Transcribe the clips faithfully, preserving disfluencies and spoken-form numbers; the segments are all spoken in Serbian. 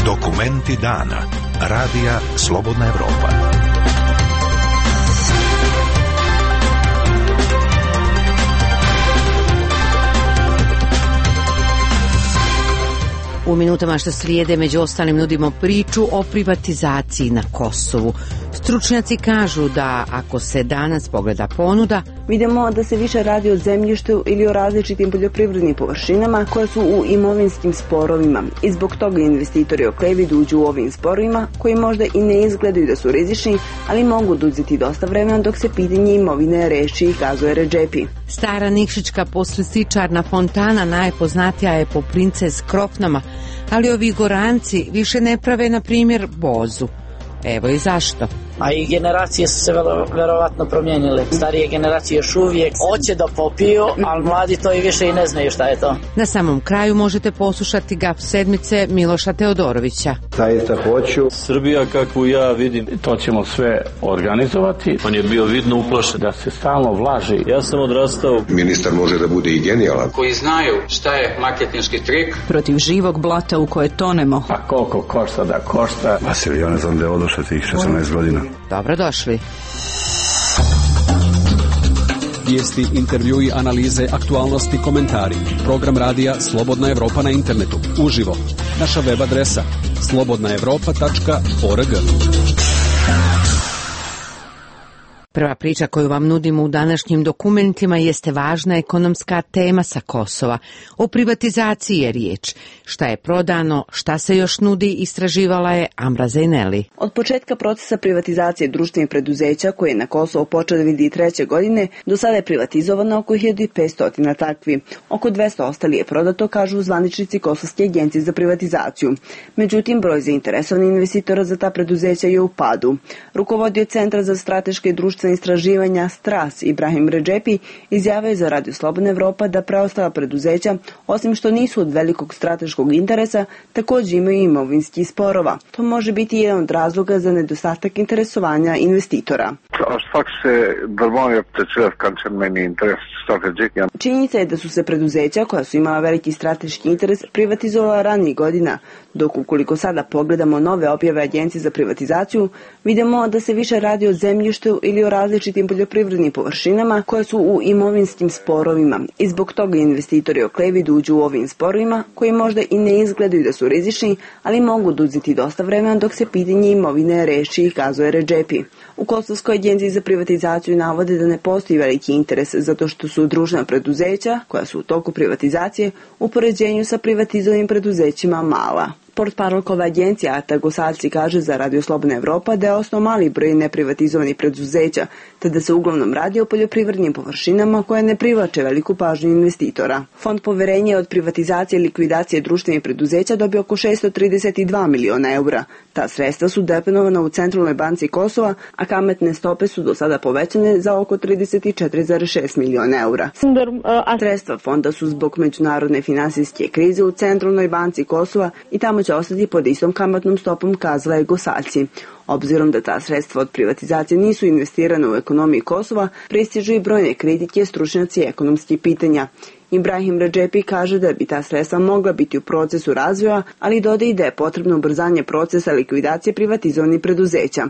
Dokumenti dana. Radija Slobodna Evropa. U minutama što slijede među ostalim nudimo priču o privatizaciji na Kosovu. Stručnjaci kažu da ako se danas pogleda ponuda, vidimo da se više radi o zemljištu ili o različitim poljoprivrednim površinama koje su u imovinskim sporovima i zbog toga investitori oklevi da uđu u ovim sporovima koji možda i ne izgledaju da su rizični, ali mogu da uzeti dosta vremena dok se pitanje imovine reši i kazuje Redžepi. Stara nikšićka poslističarna fontana najpoznatija je po Princes Krofnama, ali ovi Goranci više ne prave, na primjer, bozu. Evo i zašto. A i generacije su se velo, verovatno promijenile. Starije generacije još uvijek hoće da popiju, ali mladi to i više i ne znaju šta je to. Na samom kraju možete poslušati Gaf sedmice Miloša Teodorovića. Zaista hoću. Srbija kakvu ja vidim, to ćemo sve organizovati. On je bio vidno uplašen da se stalno vlaži. Ja sam odrastao. Ministar može da bude i genijalan. Koji znaju šta je marketinški trik. Protiv živog blata u koje tonemo. A koliko košta da košta. Vasilij, ja ne znam da je odošao tih šesnaest godina. Dobrodošli. Vijesti, intervjui, analize, aktualnosti, komentari. Program radija Slobodna Evropa na internetu. Uživo. Naša web adresa slobodna evropa tačka org. Prva priča koju vam nudimo u današnjim dokumentima jeste važna ekonomska tema sa Kosova. O privatizaciji je riječ. Šta je prodano, šta se još nudi, istraživala je Amra Zejneli. Od početka procesa privatizacije društvenih preduzeća koje je na Kosovo počeo dvije hiljade treće. godine, do sada je privatizovano oko hiljadu petsto takvi. Oko dvesta ostali je prodato, kažu zvaničnici Kosovske agencije za privatizaciju. Međutim, broj zainteresovanih investitora za ta preduzeća je u padu. Rukovodio Centra za strateške i društvene istraživanja Stras Ibrahim Redžepi izjavio je za Radio Slobodna Evropa da preostala preduzeća, osim što nisu od velikog strateškog interesa, također imaju imovinskih sporova. To može biti jedan od razloga za nedostatak interesovanja investitora. Činjenica je da su se preduzeća koja su imala veliki strateški interes privatizovala ranijih godina, dok ukoliko sada pogledamo nove objave agencije za privatizaciju, vidimo da se više radi o zemljištu ili o različitim poljoprivrednim površinama koje su u imovinskim sporovima i zbog toga investitori oklevi da uđu u ovim sporovima koji možda i ne izgledaju da su rizični, ali mogu da uzeti dosta vremena dok se pitanje imovine reši i kazuje Redžepi. U Kosovskoj agenciji za privatizaciju navode da ne postoji veliki interes zato što su društvena preduzeća koja su u toku privatizacije u poređenju sa privatizovanim preduzećima mala. Portparolkova agencija Ata Gosalci kaže za Radio Slobodna Evropa da je osnov mali broj neprivatizovanih preduzeća, te da se uglavnom radi o poljoprivrednim površinama koje ne privlače veliku pažnju investitora. Fond poverenja od privatizacije i likvidacije društvenih preduzeća dobio oko šessto trideset dva miliona eura. Ta sredstva su deponovana u Centralnoj banci Kosova, a kamatne stope su do sada povećane za oko trideset četiri zarez šest miliona eura. Sredstva fonda su zbog međunarodne finansijske krize u Centralnoj banci Kosova i tamo će ostati pod istom kamatnom stopom, kazala je Gosalci. Obzirom da ta sredstva od privatizacije nisu investirane u ekonomiji Kosova, pristižu i brojne kritike stručnjaci ekonomskih pitanja. Ibrahim Redžepi kaže da bi ta sredstva mogla biti u procesu razvoja, ali dodaje da je potrebno ubrzanje procesa likvidacije privatizovanih preduzeća.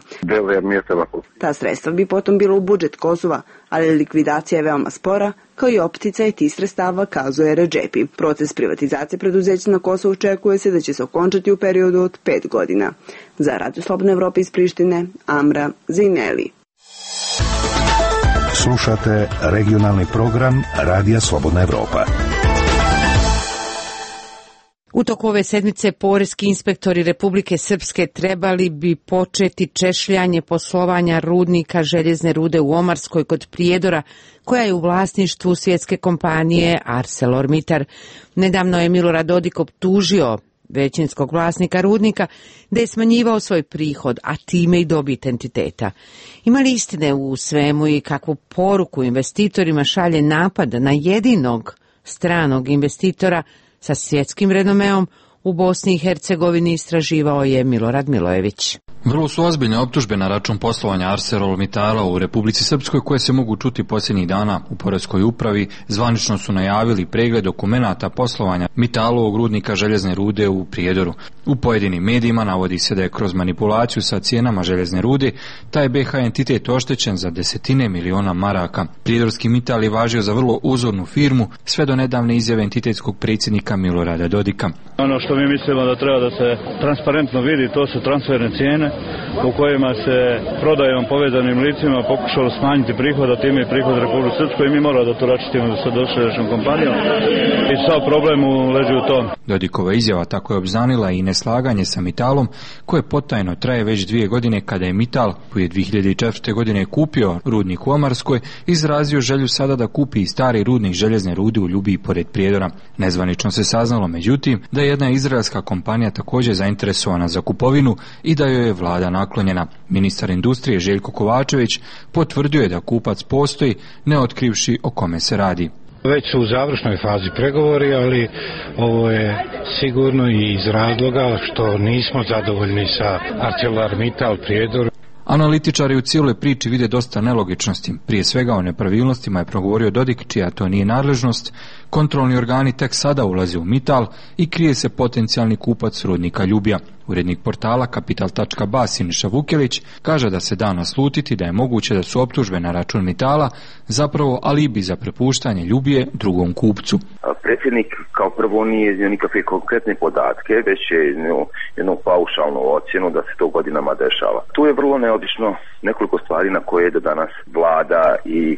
Ta sredstva bi potom bila u budžet Kosova, ali likvidacija je veoma spora, kao i opticaj tih sredstava, kazuje Redžepi. Proces privatizacije preduzeća na Kosovu očekuje se da će se okončati u periodu od pet godina. Za Radio Slobodna Evropa iz Prištine, Amra Zejneli. Slušate regionalni program Radija Slobodna Evropa. U toku ove sedmice poreski inspektori Republike Srpske trebali bi početi češljanje poslovanja rudnika željezne rude u Omarskoj kod Prijedora, koja je u vlasništvu svjetske kompanije ArcelorMittal. Nedavno je Milorad Dodik optužio većinskog vlasnika rudnika da je smanjivao svoj prihod, a time i dobit entiteta. Ima li istine u svemu i kakvu poruku investitorima šalje napad na jedinog stranog investitora sa svjetskim renomeom u Bosni i Hercegovini, istraživao je Milorad Milojević. Vrlo su ozbiljne optužbe na račun poslovanja ArcelorMittala u Republici Srpskoj koje se mogu čuti posljednjih dana u Poreskoj upravi. Zvanično su najavili pregled dokumenata poslovanja Mittalovog rudnika željezne rude u Prijedoru. U pojedinim medijima navodi se da je kroz manipulaciju sa cijenama željezne rude taj B H entitet oštećen za desetine miliona maraka. Prijedorski Mittal je važio za vrlo uzornu firmu sve do nedavne izjave entitetskog predsjednika Milorada Dodika. Ono što mi mislimo da treba da se transparentno vidi, to su transferne cijene u kojima se prodajom povezanim licima pokušalo smanjiti prihod, a time i prihod Republike Srpskoj, i mi moramo da to račistimo sa dosadašnjom kompanijom i sav problem leži u tom. Dodikova izjava tako je obznanila i neslaganje sa Mittalom koje potajno traje već dvije godine kada je Mittal, koji je dvije hiljade četvrte. godine kupio rudnik u Omarskoj, izrazio želju sada da kupi i stari rudnik željezne rude u Ljubiji pored Prijedora. Nezvanično se saznalo međutim da je jedna izraelska kompanija također zainteresovana za kupovinu i da joj je vlada naklonjena. Ministar industrije Željko Kovačević potvrdio je da kupac postoji, ne otkrivši o kome se radi. Već su u završnoj fazi pregovori, ali ovo je sigurno i iz razloga što nismo zadovoljni sa ArcelorMittal Prijedor. Analitičari u cijeloj priči vide dosta nelogičnosti. Prije svega o nepravilnostima je progovorio Dodik, čija to nije nadležnost. Kontrolni organi tek sada ulaze u Mittal i krije se potencijalni kupac rudnika Ljubija. Urednik portala Kapital tačka ba Siniša Vukelić kaže da se da naslutiti da je moguće da su optužbe na račun Mittala zapravo alibi za prepuštanje Ljubije drugom kupcu. Predsjednik kao prvo nije iznio nikakve konkretne podatke, već je iznio jednu paušalnu ocjenu da se to godinama dešava. Tu je vrlo neobično nekoliko stvari na koje do danas vlada i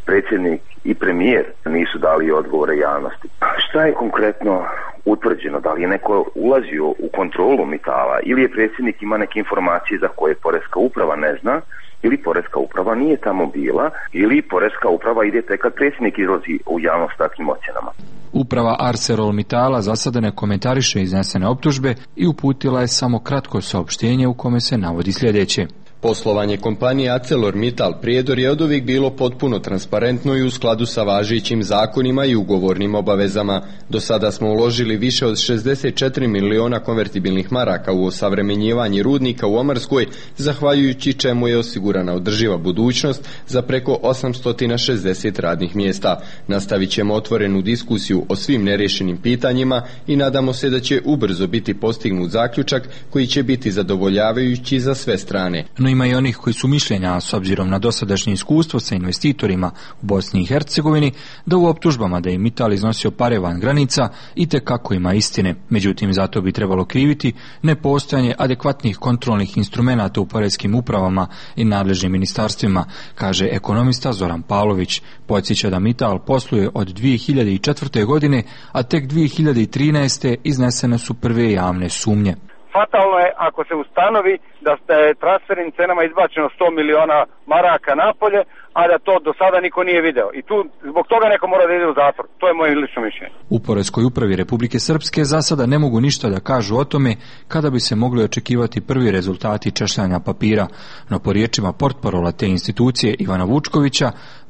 predsjednik i premijer nisu dali odgovore javnosti. Šta je konkretno utvrđeno? Da li je neko ulazio u kontrolu Mittala ili je predsjednik ima neke informacije za koje Poreska uprava ne zna, ili Poreska uprava nije tamo bila, ili Poreska uprava ide tek kad predsjednik izlazi u javnost s takvim ocjenama. Uprava ArcelorMittala za sada ne komentariše iznesene optužbe i uputila je samo kratko saopštenje u kome se navodi sljedeće. Poslovanje kompanije ArcelorMittal Prijedor je oduvijek bilo potpuno transparentno i u skladu sa važećim zakonima i ugovornim obavezama. Do sada smo uložili više od šezdeset četiri miliona konvertibilnih maraka u osavremenjivanje rudnika u Omarskoj, zahvaljujući čemu je osigurana održiva budućnost za preko osamsto šezdeset radnih mjesta. Nastavit ćemo otvorenu diskusiju o svim nerješenim pitanjima i nadamo se da će ubrzo biti postignut zaključak koji će biti zadovoljavajući za sve strane. No ima i onih koji su mišljenja, s obzirom na dosadašnje iskustvo sa investitorima u Bosni i Hercegovini, da u optužbama da je Mittal iznosio pare van granica itekako ima istine. Međutim, zato bi trebalo kriviti nepostojanje adekvatnih kontrolnih instrumenata u poreskim upravama i nadležnim ministarstvima, kaže ekonomista Zoran Pavlović. Podsjeća da Mittal posluje od dvije hiljade četvrte. godine, a tek dvije hiljade trinaeste. iznesene su prve javne sumnje. Fatalno je ako se ustanovi da je transfernim cenama izbačeno sto miliona maraka napolje, a da to do sada niko nije video. I tu zbog toga neko mora da ide u zatvor. To je moje lično mišljenje. U Poreskoj upravi Republike Srpske za sada ne mogu ništa da kažu o tome kada bi se mogli očekivati prvi rezultati češljanja papira. No po riječima portparola te institucije Ivana Vučkovića,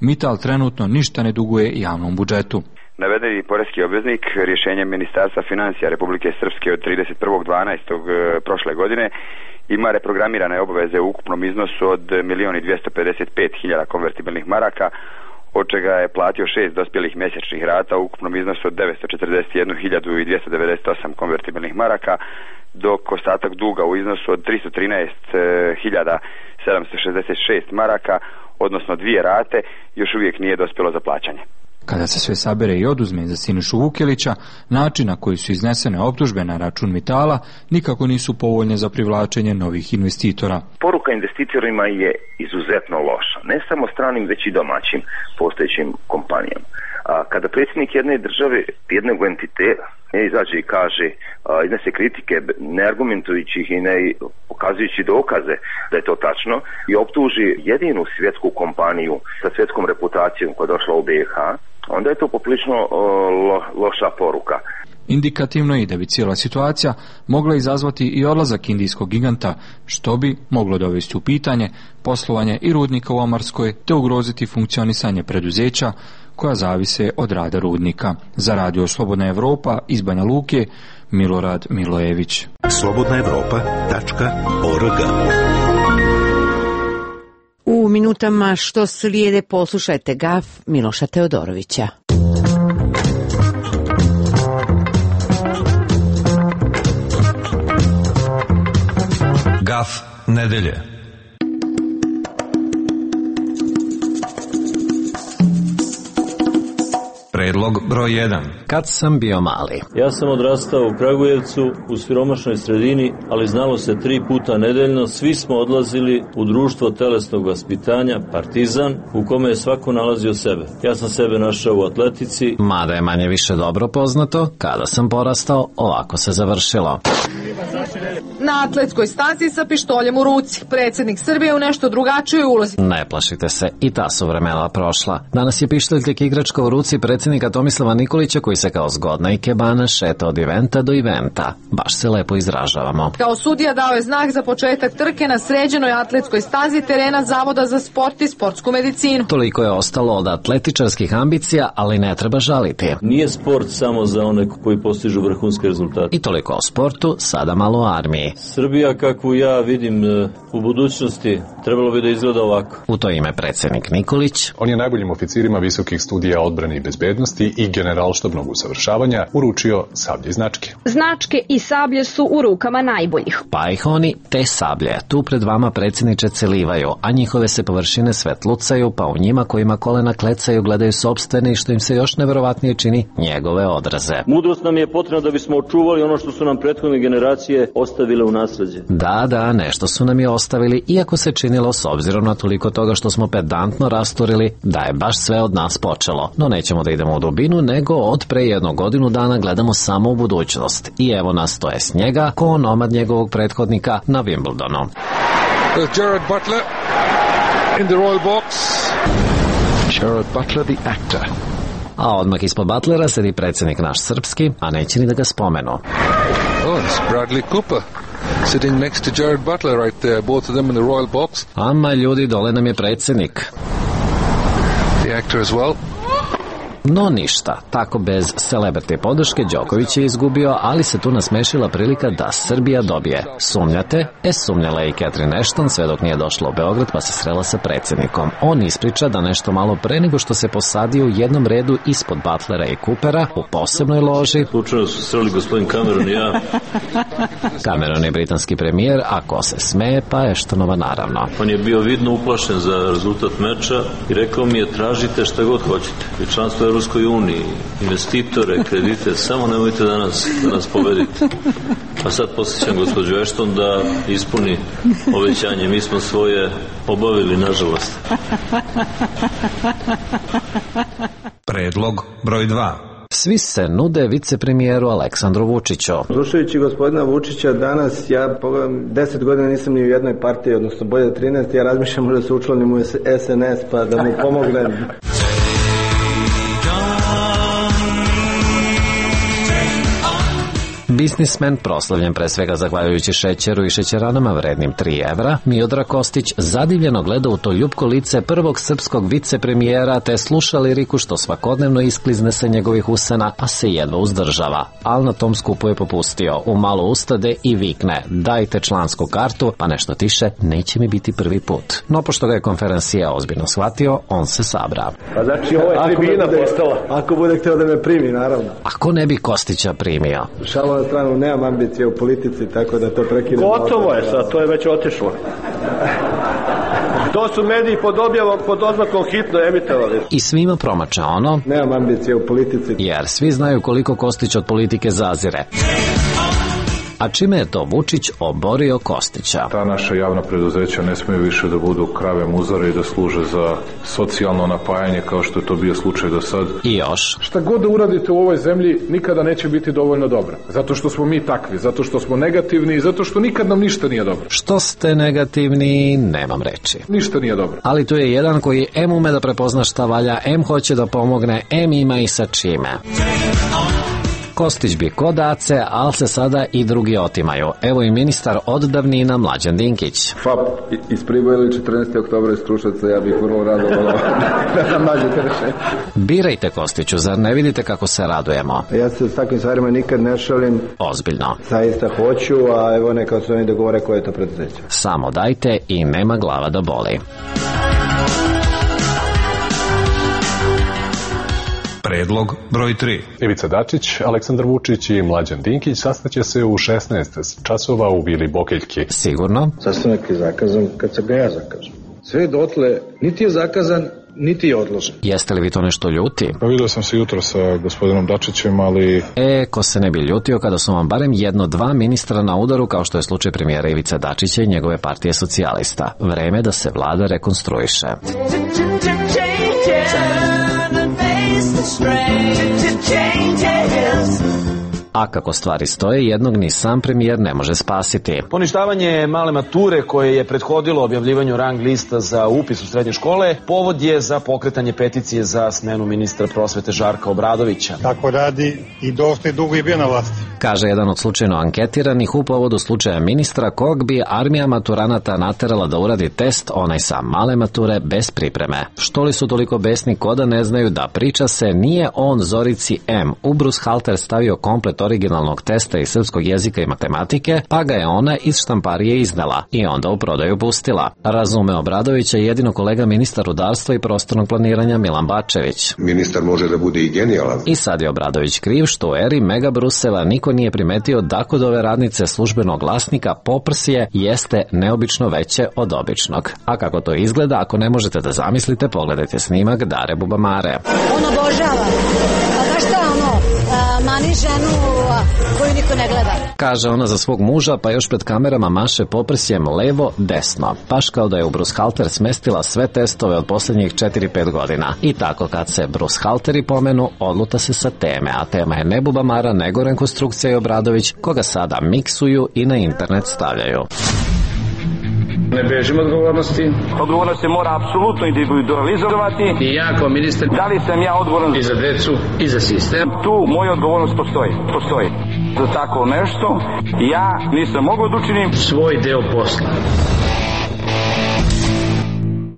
Mittal trenutno ništa ne duguje javnom budžetu. Navedeni poreski obveznik rješenjem Ministarstva financija Republike Srpske od trideset prvog dvanaestog prošle godine ima reprogramirane obaveze u ukupnom iznosu od milion dvjesto pedeset pet hiljada konvertibilnih maraka, od čega je platio šest dospjelih mjesečnih rata u ukupnom iznosu od devetsto četrdeset jednu hiljadu dvjesto devedeset osam konvertibilnih maraka, dok ostatak duga u iznosu od tristo trinaest hiljada sedamsto šezdeset šest maraka, odnosno dvije rate, još uvijek nije dospjelo za plaćanje. Kada se sve sabere i oduzme za Sinišu Vukelića, način na koji su iznesene optužbe na račun Mittala nikako nisu povoljne za privlačenje novih investitora. Poruka investitorima je izuzetno loša, ne samo stranim već i domaćim postojećim kompanijama. A kada predsjednik jedne države, jednog entiteta izađe i kaže, iznese kritike ne argumentujući ih i ne pokazujući dokaze da je to tačno i optuži jedinu svjetsku kompaniju sa svjetskom reputacijom koja je došla u B i H, onda je to poprilično lo, loša poruka. Indikativno je da bi cijela situacija mogla izazvati i odlazak indijskog giganta, što bi moglo dovesti u pitanje poslovanje i rudnika u Omarskoj te ugroziti funkcionisanje preduzeća koja zavise od rada rudnika. Za Radio Slobodna Evropa iz Banja Luke, Milorad Milojević. slobodna evropa tačka org. U minutama što slijede poslušajte gaf Miloša Teodorovića. Gaf nedelje. Predlog broj jedan. Kad sam bio mali. Ja sam odrastao u Kragujevcu, u siromašnoj sredini, ali znalo se tri puta nedeljno. Svi smo odlazili u društvo telesnog vaspitanja, Partizan, u kome je svako nalazio sebe. Ja sam sebe našao u atletici. Mada je manje više dobro poznato, kada sam porastao, ovako se završilo. Na atletskoj stazi sa pištoljem u ruci. Predsjednik Srbije u nešto drugačijoj ulozi. Ne plašite se, i ta su vremena prošla. Danas je pištolj tek igračka u ruci predsjednika Tomislava Nikolića, koji se kao zgodna ikebana šeta od eventa do eventa. Baš se lepo izražavamo. Kao sudija dao je znak za početak trke na sređenoj atletskoj stazi terena Zavoda za sport i sportsku medicinu. Toliko je ostalo od atletičarskih ambicija, ali ne treba žaliti. Nije sport samo za one koji postižu vrhunske rezultate. I toliko o sportu, sada malo o armiji. Srbija kakvu ja vidim u budućnosti trebalo bi da izgleda ovako. U to ime predsjednik Nikolić. On je najboljim oficirima visokih studija odbrane i bezbednosti i generalštabnog usavršavanja uručio sablje i značke. Značke i sablje su u rukama najboljih. Pa ih oni te sablje tu pred vama, predsjedniče, celivaju, a njihove se površine svetlucaju, pa u njima kojima kolena klecaju gledaju sopstvene i što im se još neverovatnije čini, njegove odraze. Mudrost nam je potrebna da bismo očuvali ono što su nam prethodne generacije ostavile u nasleđe. Da, da, nešto su nam je ostavili, iako se činilo s obzirom na toliko toga što smo pedantno rasturili, da je baš sve od nas počelo. No nećemo da idemo u dubinu, nego od pre jednu godinu dana gledamo samo u budućnost. I evo nas, to je s njega, ko onomad njegovog prethodnika na Wimbledonu. Gerard Butler in the royal box. Gerard Butler, the actor. A odmah ispod Butlera sedi predsjednik naš srpski, a neće ni da ga spomenu. Oh, it's Bradley Cooper sitting next to Gerard Butler right there, both of them in the royal box. Ama ljudi, dole nam je predsjednik. The actor as well. No ništa, tako bez celebrity podrške Đoković je izgubio, ali se tu nasmešila prilika da Srbija dobije. Sumnjate? E, sumnjala je i Catherine Ashton, sve dok nije došla u Beograd pa se srela sa predsjednikom. On ispriča da nešto malo pre nego što se posadio u jednom redu ispod Butlera i Coopera u posebnoj loži. Slučajno su sreli gospodin Cameron i ja. Cameron je britanski premijer, a ko se smeje, pa Ashtonova naravno. On je bio vidno uplašen za rezultat meča i rekao mi je tražite šta god hoćete. I članstvo je Ruskoj uniji, investitore, kredite, samo nemojte da nas, da nas pobedite. A sad posjećam gospođu Ashton da ispuni obećanje. Mi smo svoje obavili, nažalost. Predlog broj dva. Svi se nude vicepremijeru Aleksandru Vučiću. Slušajući gospodina Vučića danas, ja pogledam, deset godina nisam ni u jednoj partiji, odnosno bolje trinaest, ja razmišljam da se učlanim u S N S pa da mu pomognem. Biznismen, proslavljen pre svega zahvaljujući šećeru i šećeranama vrednim tri evra, Miodrag Kostić zadivljeno gleda u to ljupko lice prvog srpskog vicepremijera te sluša liriku što svakodnevno isklizne sa njegovih usana, a se jedva uzdržava. Al na tom skupu je popustio, u malo ustade i vikne: dajte člansku kartu, pa nešto tiše, neće mi biti prvi put. No pošto ga je konferencija ozbiljno shvatio, on se sabra. Pa znači ovo je tribina postala. Ako bude htio da me primi, naravno. Ako ne bi Kostića primio? Šalo na stranu, nemam ambicije u politici, tako da to prekinem. Gotovo je sad, to je već otišlo. To su mediji pod objavom, pod oznakom hitno emitovali. I svima promača ono: nemam ambicije u politici. Jer svi znaju koliko Kostić od politike zazire. A čime je to Vučić oborio Kostića? Ta naša javna preduzeća ne smiju više da budu krave muzare i da služe za socijalno napajanje kao što je to bio slučaj do sad. I još. Šta god da uradite u ovoj zemlji nikada neće biti dovoljno dobro. Zato što smo mi takvi, zato što smo negativni i zato što nikad nam ništa nije dobro. Što ste negativni, nemam reči. Ništa nije dobro. Ali tu je jedan koji em ume da prepozna šta valja, em hoće da pomogne, em ima i sa čime. Kostić bi kod Ace, ali se sada i drugi otimaju. Evo i ministar od davnina Mlađan Dinkić. F A P iz Priboja ili četrnaestog oktobra iz Kruševca, ja bih vrlo rado volao da nam nađete rešenje. Birajte, Kostiću, zar ne vidite kako se radujemo? Ja se s takvim stvarima nikad ne šalim. Ozbiljno. Zaista hoću, a evo neka su oni dogovore koje je to preduzeće. Samo dajte i nema glava da boli. Predlog broj tri. Ivica Dačić, Aleksandar Vučić i Mlađan Dinkić sastaće se u šesnaest časova u Vili Bokeljki. Sigurno? Sastanak je zakazan kad se ga ja zakažem. Sve dotle niti je zakazan, niti je odložen. Jeste li vi to nešto ljuti? Pa vidio sam se jutro sa gospodinom Dačićem, ali... E, ko se ne bi ljutio kada su vam barem jedno, dva ministra na udaru, kao što je slučaj premijera Ivice Dačića i njegove partije socijalista. Vreme da se vlada rekonstruiše. A kako stvari stoje, jednog ni sam premijer ne može spasiti. Poništavanje male mature koje je prethodilo objavljivanju rang lista za upis u srednje škole, povod je za pokretanje peticije za smenu ministra prosvete Žarka Obradovića. Tako radi i dosta dugo je bio na vlasti. Kaže jedan od slučajno anketiranih u povodu slučaja ministra kog bi armija maturanata naterala da uradi test, onaj sa male mature, bez pripreme. Što li su toliko besni ko da ne znaju da priča se nije on Zorici M. u brushalter stavio komplet originalnog testa iz srpskog jezika i matematike, pa ga je ona iz štamparije iznala i onda u prodaju pustila. Razume Obradovića jedino kolega ministar rudarstva i prostornog planiranja Milan Bačević. Ministar može da bude i genijalan. I sad je Obradović kriv što u eri Mega Brusela niko nije primetio da kod ove radnice službenog glasnika poprsje jeste neobično veće od običnog. A kako to izgleda, ako ne možete da zamislite, pogledajte snimak Dare Bubamare. On obožava. A znaš šta ono, mani ženu koju niko ne gleda. Kaže ona za svog muža, pa još pred kamerama maše poprsjem levo, desno. Baš kao da je u brushalter smestila sve testove od posljednjih četiri pet godina. I tako kad se brushalteri pomenu, odluta se sa teme, a tema je ne Bubamara, nego rekonstrukcija i Obradović, koga sada miksuju i na internet stavljaju. Ne bežim odgovornosti. Odgovornost se mora apsolutno individualizovati. I ja kao ministar, da li sam ja odgovoran i za decu i za sistem? Tu moja odgovornost postoji. Postoji. Za tako nešto ja nisam mogao da učinim svoj deo posla.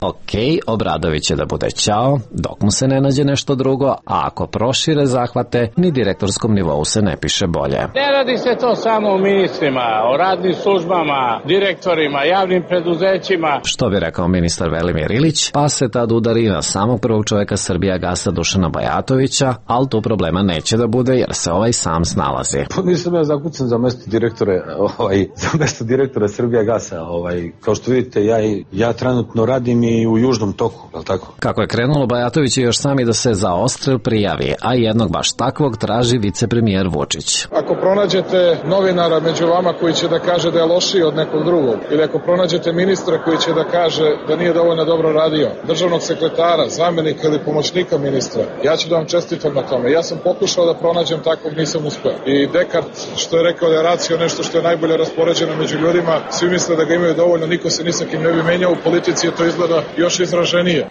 Ok, Obradović će da bude ćao, dok mu se ne nađe nešto drugo, a ako prošire zahvate, ni direktorskom nivou se ne piše bolje. Ne radi se to samo o ministrima, o radnim službama, direktorima, javnim preduzećima. Što bi rekao ministar Velimir Ilić, pa se tad udari na samog prvog čoveka Srbijagasa Dušana Bajatovića, ali tu problema neće da bude jer se ovaj sam snalazi. Pa nisam ja zakucan za mesto direktore, ovaj, za mesto direktora Srbijagasa, ovaj, kao što vidite, ja, ja trenutno radim i u južnom toku, je li tako? Kako je krenulo, Bajatović je još sami da se za odstrel prijavi, a jednog baš takvog traži vicepremijer Vučić. Ako pronađete novinara među vama koji će da kaže da je lošiji od nekog drugog, ili ako pronađete ministra koji će da kaže da nije dovoljno dobro radio, državnog sekretara, zamenika ili pomoćnika ministra, ja ću da vam čestitam na tome. Ja sam pokušao da pronađem takvog, nisam uspeo. I Dekart, što je rekao da je racio nešto što je najbolje raspoređeno među ljudima, svi misle da ga imaju dovoljno, niko se ni sa kim ne bi menjao, u politici je to izgleda još izraženije.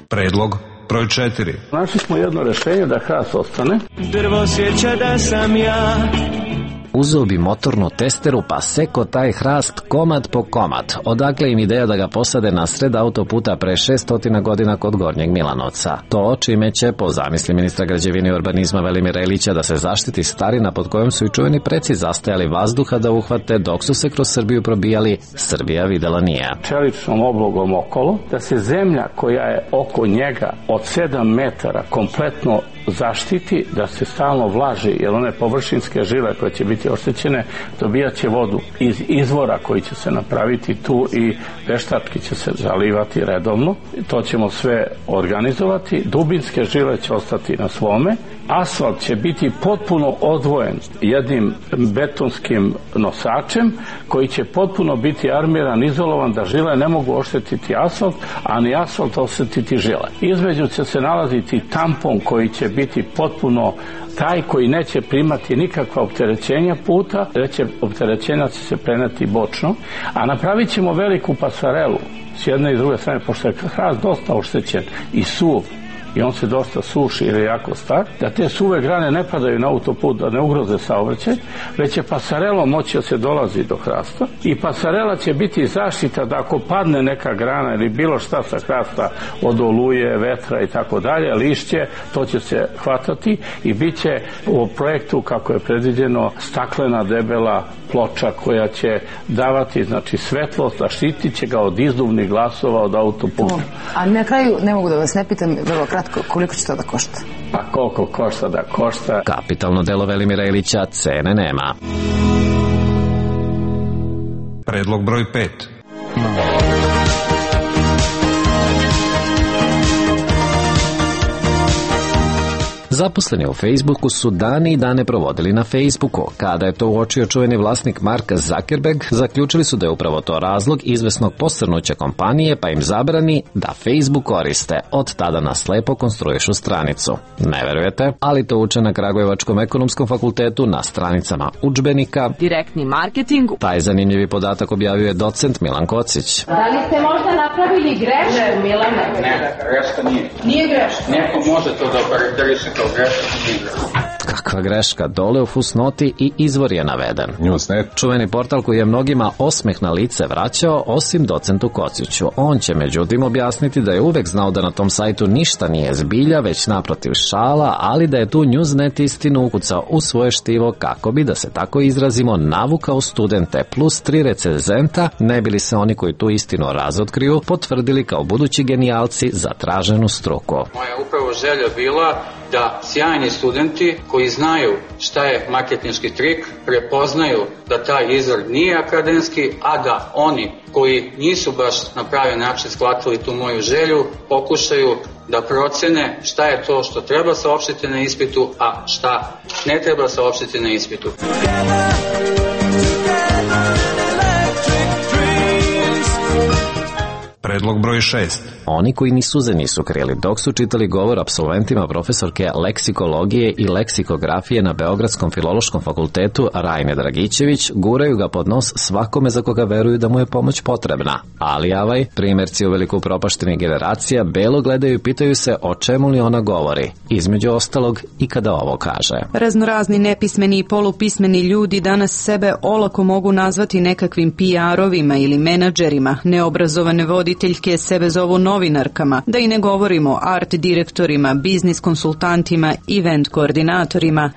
Predlog broj četiri. Našli smo jedno rešenje da hrast ostane. Drvo sjeća da sam ja. Uzeo bi motornu testeru pa seko taj hrast komad po komad. Odakle im ideja da ga posade na sred autoputa pre šeststotina godina kod Gornjeg Milanovca. To čime će, po zamisli ministra građevine i urbanizma Velimira Ilića, da se zaštiti starina pod kojom su i čuveni preci zastajali vazduha da uhvate dok su se kroz Srbiju probijali, Srbija videla nije. Čeličnom oblogom okolo, da se zemlja koja je oko njega od sedam metara kompletno zaštiti, da se stalno vlaži, jer one površinske žile koje će biti oštećene dobijat će vodu iz izvora koji će se napraviti tu i veštački će se zalivati redovno. To ćemo sve organizovati. Dubinske žile će ostati na svome. Asfalt će biti potpuno odvojen jednim betonskim nosačem koji će potpuno biti armiran, izolovan, da žile ne mogu oštetiti asfalt, a ni asfalt oštetiti žile. Između će se nalaziti tampon koji će biti potpuno taj koji neće primati nikakva opterećenja puta, reće opterećenja će se preneti bočno, a napravit ćemo veliku pasarelu s jedne i druge strane, pošto je hrast dosta oštećen i suv i on se dosta suši ili jako star, da te suve grane ne padaju na autoput, da ne ugroze saobraćaj, već će pasarelom moći da se dolazi do hrasta i pasarela će biti zaštita da ako padne neka grana ili bilo šta sa hrasta od oluje, vetra i tako dalje, lišće, to će se hvatati i bit će u projektu kako je predviđeno staklena debela ploča koja će davati znači svetlost, a štitit će ga od izduvnih glasova od autoputa. A na kraju ne mogu da vas ne pitam vrlo kratko koliko će to da košta? Pa koliko košta da košta? Kapitalno delo Velimira Ilića, cene nema. Predlog broj pet. Zaposleni u Facebooku su dani i dane provodili na Facebooku. Kada je to uočio čuveni vlasnik Mark Zuckerberg, zaključili su da je upravo to razlog izvesnog posrnuća kompanije, pa im zabrani da Facebook koriste. Od tada na slepo konstruišu stranicu. Ne verujete? Ali to uče na Kragujevačkom ekonomskom fakultetu na stranicama udžbenika. Direktni marketing. Taj zanimljivi podatak objavio je docent Milan Kocić. Da li ste možda napravili grešku, Milane? Ne, greška nije. Nije greška? Neko može to da okarakteriše kao greška, nije greška. Kakva greška, dole u fusnoti i izvor je naveden. Newsnet. Čuveni portal koji je mnogima osmeh na lice vraćao, osim docentu Kociću. On će međutim objasniti da je uvek znao da na tom sajtu ništa nije zbilja, već naprotiv šala, ali da je tu Newsnet istinu ukucao u svoje štivo kako bi, da se tako izrazimo, navukao studente plus tri recenzenta, ne bili se oni koji tu istinu razotkriju potvrdili kao budući genijalci za traženu struku. Moja upravo želja bila da sjajni studenti koji znaju šta je marketinški trik prepoznaju da taj izvor nije akademski, a da oni koji nisu baš na pravi način shvatili tu moju želju pokušaju da procene šta je to što treba saopštiti na ispitu, a šta ne treba saopštiti na ispitu. Predlog broj šest. Oni koji ni suze nisu krili dok su čitali govor apsolventima profesorke leksikologije i leksikografije na Beogradskom filološkom fakultetu Rajne Dragićević, guraju ga pod nos svakome za koga veruju da mu je pomoć potrebna. Ali avaj, primjerci u veliko upropaštenih generacija belo gledaju i pitaju se o čemu li ona govori, između ostalog i kada ovo kaže. Raznorazni nepismeni i polupismeni ljudi danas sebe olako mogu nazvati nekakvim P R-ovima ili menadžerima, neobrazovane voditeljke sebe zovu novinarkama, da i ne govorimo o art direktorima, biznis konsultantima, event koordinatorima.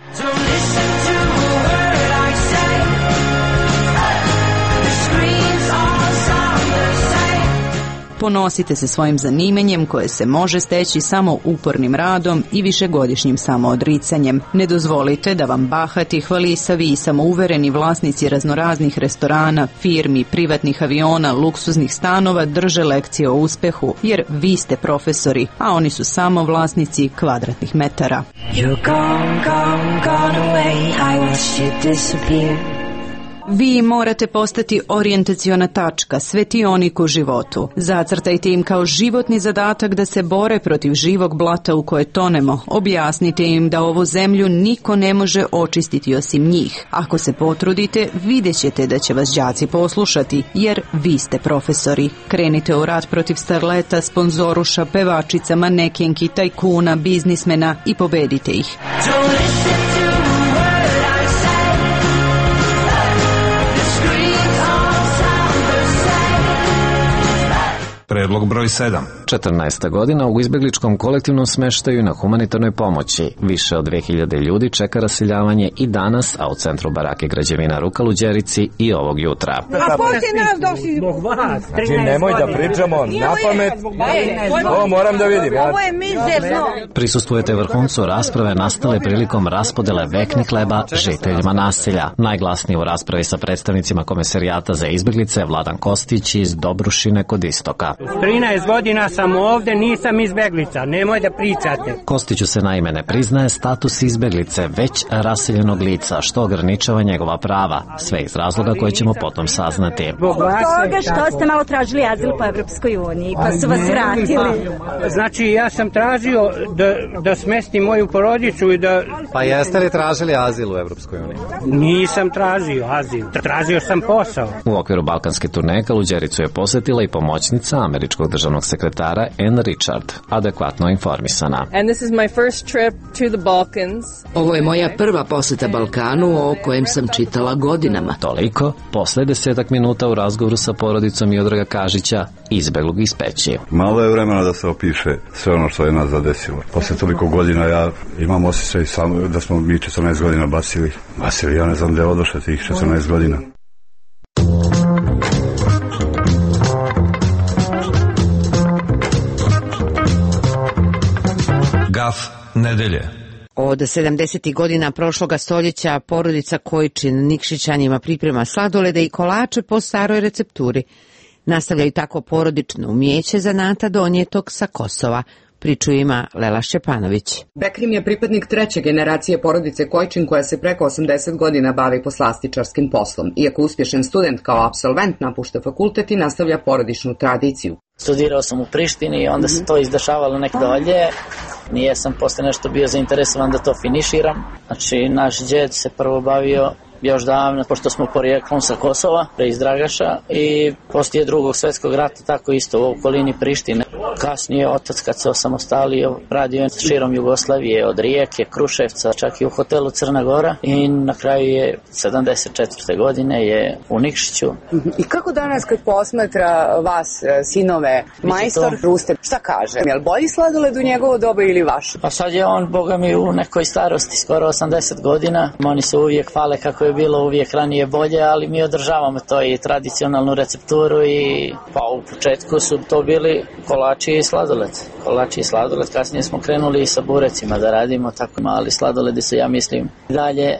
Ponosite se svojim zanimanjem koje se može steći samo upornim radom i višegodišnjim samoodricanjem. Ne dozvolite da vam bahati, hvalisavi i samouvereni vlasnici raznoraznih restorana, firmi, privatnih aviona, luksuznih stanova drže lekcije o uspehu, jer vi ste profesori, a oni su samo vlasnici kvadratnih metara. You're gone, gone, gone away, I watched you disappear. Vi morate postati orijentaciona tačka, svetionik u životu. Zacrtajte im kao životni zadatak da se bore protiv živog blata u koje tonemo. Objasnite im da ovu zemlju niko ne može očistiti osim njih. Ako se potrudite, vidjet ćete da će vas đaci poslušati, jer vi ste profesori. Krenite u rat protiv starleta, sponzoruša, pevačica, manekenki, tajkuna, biznismena i pobedite ih. Predlog broj sedam. četrnaesta godina u izbegličkom kolektivnom smeštaju na humanitarnoj pomoći. Više od dve hiljade ljudi čeka raseljavanje i danas, a u centru barake građevina Rukal u Đerici i ovog jutra. A poslije nas došli zbog vas. Znači, nemoj da pričamo na pamet. Ovo moram da vidim. Ovo je mizerno. Prisustvujete vrhuncu rasprave nastale prilikom raspodele veknih hleba žiteljima naselja. Najglasniji u raspravi sa predstavnicima Komesarijata za izbeglice Vladan Kostić iz Dobrušine kod istoka. trinaest godina sam ovde, nisam izbeglica, nemoj da pričate. Kostiću se naime ne priznaje status izbeglice, već raseljenog lica, što ograničava njegova prava. Sve iz razloga koje ćemo potom saznati. Zbog toga što ste malo tražili azil po Evropskoj uniji, pa su vas vratili. Znači, ja sam tražio da, da smestim moju porodicu i da... Pa jeste li tražili azil u Evropskoj uniji? Nisam tražio azil, tražio sam posao. U okviru balkanske turneje Kaluđericu je posetila i pomoćnica američkog državnog sekretara Drugara Ann Richard, adekvatno informisana. And this is my first trip to the Balkans. Ovo je moja prva poseta Balkanu o kojem sam čitala godinama. Toliko, posle desetak minuta u razgovoru sa porodicom Miodraga Kažića, izbeglog iz peći. Malo je vremena da se opiše sve ono što je nas zadesilo. Posle toliko godina ja imam osjećaj sam, da smo mi četrnaest godina basili. Basili, ja ne znam da je odošle tih četrnaest godina. Gaf nedelje. Od sedamdesetih godina prošloga stoljeća porodica Kojčin Nikšićanjima priprema sladolede i kolače po staroj recepturi. Nastavljaju tako porodično umijeće zanata donijetog sa Kosova. Priču ima Lela Šćepanović. Bekrim je pripadnik treće generacije porodice Kojčin koja se preko osamdeset godina bavi poslastičarskim poslom. Iako uspješan student kao apsolvent napušta fakultet i nastavlja porodičnu tradiciju. Studirao sam u Prištini i onda se to izdešavalo nek dolje. Nije sam posle nešto bio zainteresovan da to finiširam. Znači, naš djed se prvo bavio još davno, pošto smo porijeklom sa Kosova, iz Dragaša, i poslije drugog svjetskog rata tako isto u okolini Prištine. Kasnije otac kad se osamostalio radio je širom Jugoslavije, od Rijeke, Kruševca, čak i u hotelu Crna Gora, i na kraju je sedamdeset četvrte godine je u Nikšiću. I kako danas kad posmatra vas, sinove, majstor Ruste, šta kaže? Je li bolji sladoled u njegovo doba ili vaš? Pa sad je on, boga mi, u nekoj starosti, skoro osamdeset godina. Oni se uvijek hvale kako je bilo uvijek ranije bolje, ali mi održavamo to i tradicionalnu recepturu i pa u početku su to bili kolači i sladoled. Kolači i sladoled, kasnije smo krenuli i sa burecima da radimo, tako mali sladoledi su, ja mislim, dalje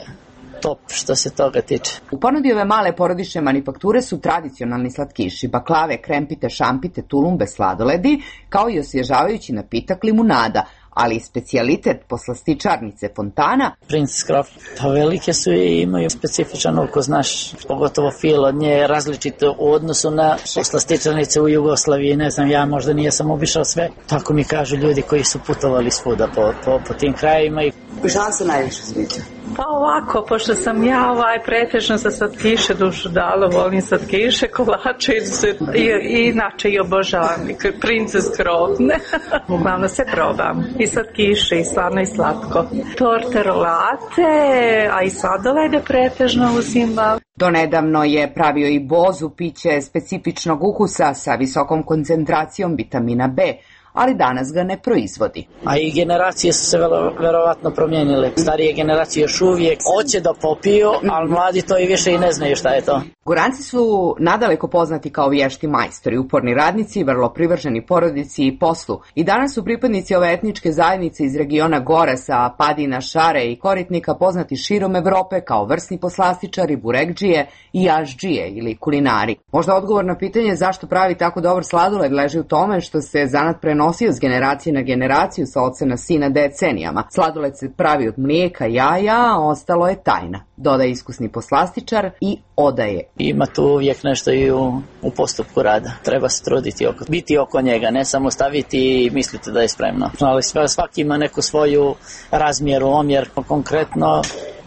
top što se toga tiče. U ponudi ove male porodične manufakture su tradicionalni slatkiši, baklave, krempite, šampite, tulumbe, sladoledi, kao i osvježavajući napitak limunada, ali i specijalitet poslastičarnice Fontana. Princess Croft, pa velike su i imaju specifičan ukus, znaš, pogotovo fil od nje različito u odnosu na poslastičarnice u Jugoslaviji, ne znam, ja možda nijesam obišao sve. Tako mi kažu ljudi koji su putovali svuda po, po, po tim krajima. I šta vam se najviše sviđa? Pa ovako, pošto sam ja ovaj pretežno za slatkiše dušu dala, volim slatkiše, kolače i, i inače i obožavam Princess Croft. Uglavnom se probam. I slatkiše, i slavno i slatko. Torte, rolate, a i sladolede pretežno uzimam. Donedavno je pravio i bozu, piće specifičnog ukusa sa visokom koncentracijom vitamina B, ali danas ga ne proizvodi. A i generacije su se velo, verovatno promijenile. Starije generacije još uvijek hoće da popiju, ali mladi to i više i ne znaju šta je to. Goranci su nadaleko poznati kao vješti majstori, uporni radnici, vrlo privrženi porodici i poslu. I danas su pripadnici ove etničke zajednice iz regiona Gorasa, Padina, Šare i Koritnika poznati širom Evrope kao vrsni poslastičari, burekdžije i ašdžije ili kulinari. Možda odgovor na pitanje zašto pravi tako dobar sladoled leži u tome što se zanat prenosio s generacije na generaciju sa oca na sina decenijama. Sladoled se pravi od mlijeka, jaja, a ostalo je tajna, dodaje iskusni poslastičar i odaje. Ima tu uvijek nešto i u, u postupku rada. Treba se truditi, oko, biti oko njega, ne samo staviti i misliti da je spremno. Ali svaki ima neku svoju razmjeru, omjer, konkretno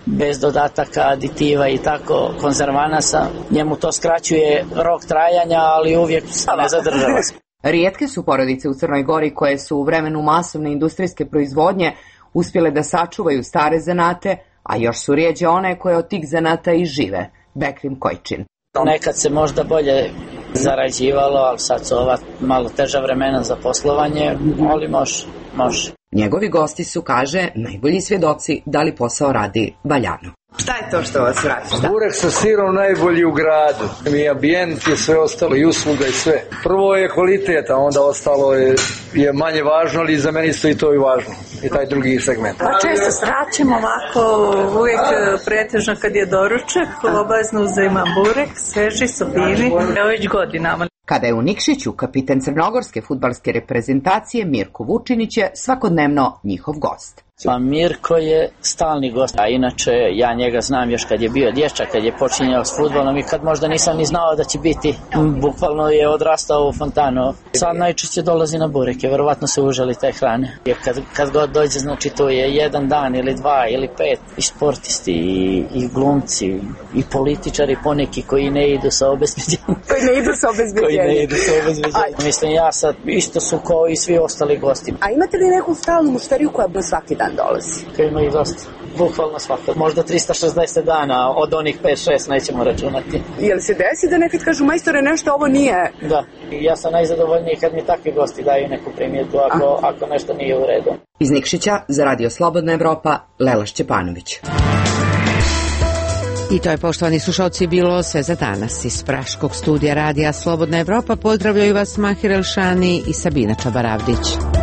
bez dodataka, aditiva i tako, konzervanasa. Njemu to skraćuje rok trajanja, ali uvijek ne zadržava se. Rijetke su porodice u Crnoj Gori koje su u vremenu masovne industrijske proizvodnje uspjele da sačuvaju stare zanate, a još su rijeđe one koje od tih zanata i žive. Bekrim Kojčin. Nekad se možda bolje zarađivalo, ali sad su ova malo teža vremena za poslovanje, ali može, može. Njegovi gosti su, kaže, najbolji svjedoci da li posao radi valjano. Šta je to što vas vraća? Burek sa sirom najbolji u gradu. I ambijent je sve ostalo, i usluga i sve. Prvo je kvalitet, a onda ostalo je, je manje važno, ali za meni isto i to i važno. I taj drugi segment. Pa često sraćemo ovako, uvijek pretežno kad je doručak, obavezno uzimam burek, sveži, sopini, evo već godinama. Kada je u Nikšiću, kapitan crnogorske fudbalske reprezentacije Mirko Vučinić je svakodnevno njihov gost. Pa Mirko je stalni gost, a inače ja njega znam još kad je bio dječak, kad je počinjao s fudbalom i kad možda nisam ni znao da će biti. Bukvalno je odrastao u fontanu. Sad najčešće dolazi na bureke, verovatno se užali te hrane. Jer kad, kad god dođe, znači to je jedan dan ili dva ili pet. I sportisti, i, i glumci, i političari poneki koji ne idu sa obezbeđenjem. Koji ne idu sa obezbeđenjem. Koji ne idu sa obezbeđenjem. A... Mislim, ja sad isto su kao i svi ostali gosti. A imate li neku stalnu mušteriju koja bi svaki dan dolazi? Koji ima i dosta. Bukvalno svakog. Možda trista šezdeset dana, od onih pet šest nećemo računati. Je li se desi da nekad kažu majstore nešto ovo nije? Da. Ja sam najzadovoljniji kad mi takvi gosti daju neku primjedbu ako, ako nešto nije u redu. Iz Nikšića za Radio Slobodna Evropa, Lela Šćepanović. I to je, poštovani slušalci, bilo sve za danas. Iz Praškog studija Radija Slobodna Evropa pozdravljaju vas Mahir Elšani i Sabina Čabaravdić.